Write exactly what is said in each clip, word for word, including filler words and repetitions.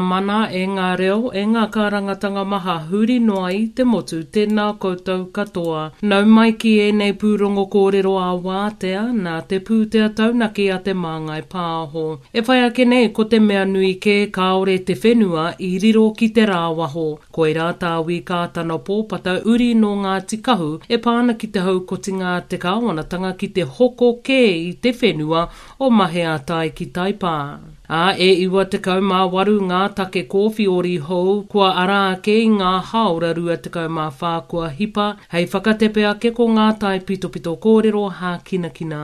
mana, e ngā reo, e ngā kārangatanga maha huri noa i te motu, tēnā koutou katoa. Nau mai ki ēnei pūrongo kōrero ā-wātea, nā te pūtea taunaki a Te Māngai Pāho. E whai ake nei ko te mea nui kē kāore te whenua i riro ki te rāwaho. Koirā tā Wī Kātana Pōpata uri nō Ngāti Kahu e pā ana ki te haukotinga a te kāwanatanga ki te hoko kē i te whenua o Maheatai ki Taipā. Ā, e iwa tekau mā waru ngā take kōwhiori hou kua ara ake i ngā hāora rua tekau mā whā kua hipa, hei whakatepe ake ko ngā taipitopito kōrero hākinakina.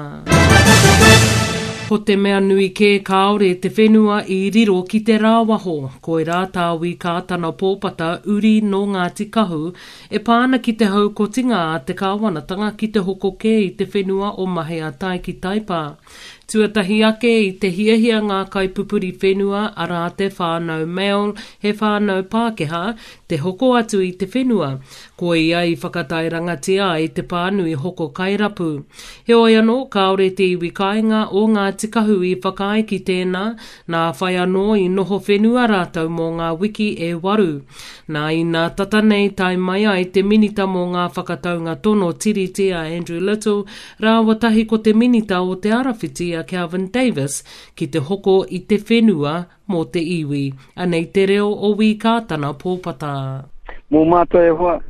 Ko te mea nui kē kāore te whenua i riro ki te rāwaho, koirā tā Wī Kātana Pōpata uri nō Ngāti Kahu e pā ana ki te haukotinga a te kāwanatanga ki te hoko kē i te whenua o Maheatai ki Taipā. Tuatahi ake i te hiahia ngā kaipupuri whenua, arā te whānau Mail, he whānau Pākehā, te hoko atu i te whenua. Koia i whakatairangatia ai te pānui hoko kairapu. Heoi anō, kāore te iwi kāinga o Ngāti Kahu i whakaae ki tēnā, nā whai anō i noho whenua rātou mō ngā wiki e waru. Nā inā tata nei tae mai ai te Minita mō ngā Whakataunga Tono Tiriti a Andrew Little rāua tahi ko te Minita o Te Arawhiti a Kelvin Davis ki te hoko i te whenua mō te iwi. Anei te reo o Wī Kātana Pōpata. Mō mātou e hoa,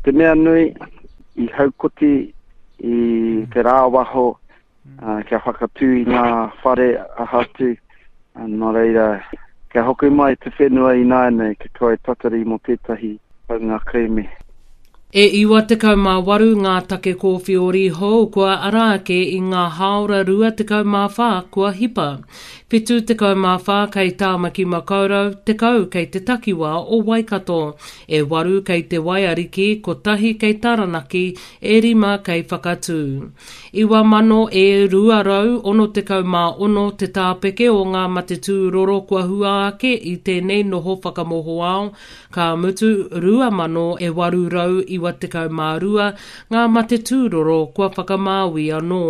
te mea nui i haukoti i te rāwaho kia whakatū i ngā whare aha atu, nō reira, kia hoki mai te whenua ināianei, kia kaua e tatari mō tētahi taunga kerēme. E iwa tekau mā waru ngā take kōwhiori hou kua ara ake i ngā hāora rua tekau mā whā kua hipa. Whitu tekau mā whā kei Tāmaki Makaurau, tekau kei te takiwā o Waikato, e waru kei Te Waiariki, kotahi kei Taranaki, e rima kei Whakatū. Iwa mano e rua rau ono tekau mā ono te tāpeke o ngā mate tūroro kua hua ake i tēnei noho whakamohoao, ka mutu rua mano e waru rau iwa tekau mā rua ngā mate tūroro kua whakamāui anō.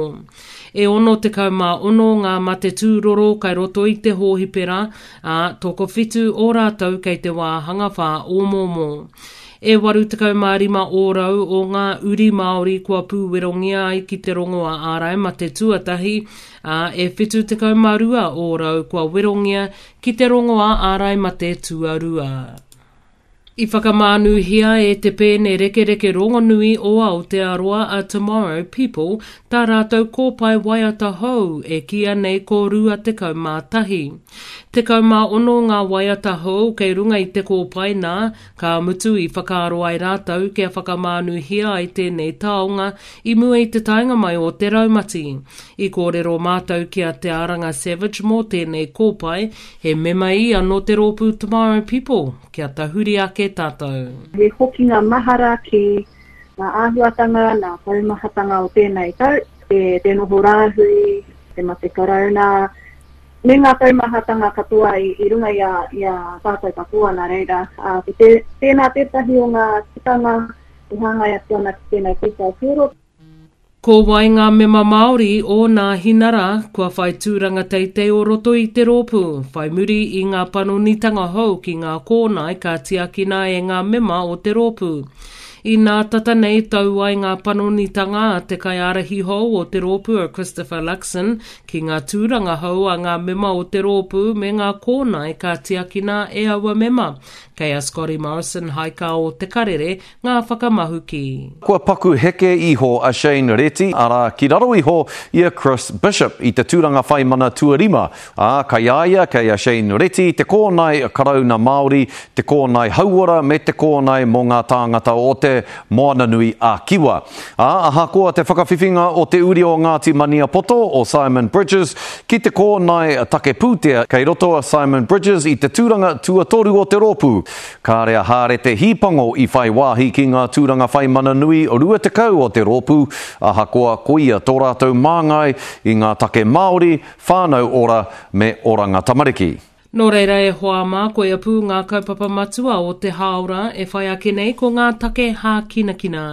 E ono tekau mā ono ngā mate tūroro kai roto i te hōhipera, ā, tokowhitu o rātou kei te wāhanga whāomoomo. E waru tekau mā rima ōrau o ngā uri Māori kua pūwerongia ai ki te rongoā ārai mate tuatahi, ā, e whitu tekau mā rua ōrau kua werongia ki te rongoā ārai mate tuarua. I whakamānuhia e te pēne rekereke rongonui o Aotearoa a Tomorrow People tā rātou kōpae waiata hou e kīia nei ko rua tekau mā tahi. Tekau mā ono ngā waiata hou kei runga i te kōpae nā, ka mutu i whakaaro ai rātou kia whakamānuhia ai tēnei taonga i mua i te taenga mai o te raumati. I kōrero mātou ki a Te Aranga Savage mō tēnei kōpae, he mema ia nō te rōpū Tomorrow People. Kia tahuri ake tātou. He hokinga mahara ki ngā āhuatanga, ngā taumahatanga o tēnei tau, te noho rāhui, te mate karauna, me ngā taumahatanga katoa i runga i a tātou katoa, nā reira, ko tēnā tētahi o ngā tikanga e hāngai atu ana ki tēnei kōwhao puoro. Ko wai ngā mema Māori o Nāhinara kua whai tūranga teitei o roto i te rōpū, whai muri i ngā panonitanga hou ki ngā kōnae ka tiakina e ngā mema o te rōpū. Inā tata nei tau ai ngā panonitanga a te kaiārahi hou o te rōpū a Christopher Luxon ki ngā tūranga hou a ngā mema o te rōpū me ngā kōnae ka tiakina e aua mema. Kei a Scotty Morrison Haika o Te Karere ngā whakamahuki. Kua paku heke iho a Shane Reti, arā, ki raro iho i a Chris Bishop i te tūranga whai mana tuarima, ā, kei a ia, kei a Shane Reti, te kōnae Karauna Māori, te kōnae hauora me te kōnae mō ngā tāngata o te Moananui a Kiwa. Ā, ahakoa te whakawhiwhinga o te uri o Ngāti Maniapoto, o Simon Bridges, ki te kōnae take pūtea, kei roto a Simon Bridges i te tūranga tuatoru o te rōpū. Kāre a Hārete Hīpango i whai wāhi ki ngā tūranga whai mana nui rua tekau o te rōpū, ahakoa koia tō rātou māngai i ngā take Māori, whānau ora me oranga tamariki. Nō reira e hoa mā, koia pū ngā kaupapa matua o te hāora e whai ake nei ko ngā take hākinakina.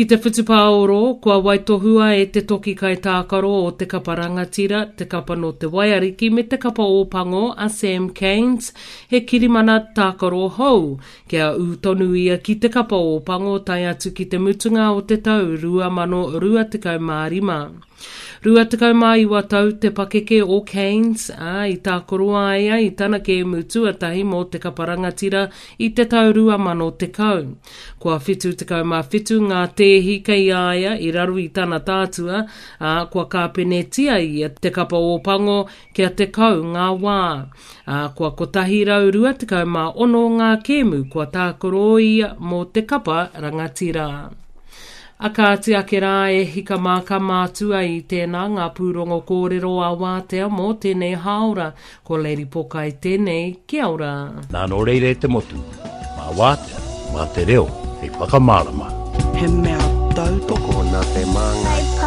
Ki te whutupāoro, kua waitohua e te toki kaitākaro o te kapa rangatira, te kapa nō te Waiariki me te kapa Ōpango a Sam Cairns, he kirimana tākaro hou, kia ū tonu ia ki te kapa Ōpango tae atu ki te mutunga o te tau rua mano rua tekau mā rima. Rua tekau mā iwa tau te pakeke o Cairns, ā, i tākaro a ia i tana kēmu tuatahi mō te kapa rangatira i te tau rua mano tekau. Kua whitu tekau mā whitu ngā tēhi kei a ia i raro i tana tātua, ā, kua kāpenetia ia te kapa Ōpango kia tekau ngā wā. Ā, kua kotahi rau rua tekau mā ono ngā kēmu kua tākaro ia mō te kapa rangatira. A kāti ake rā e hika mā ka mātua i tēnā ngā pūrongo kōrero a wātea mō tēnei hāora. Ko Lady Pokai tēnei, kia ora. Nā nō reira e te motu, mā wātea, mā te reo, hei whakamārama. He mea tautoko nā te māngai.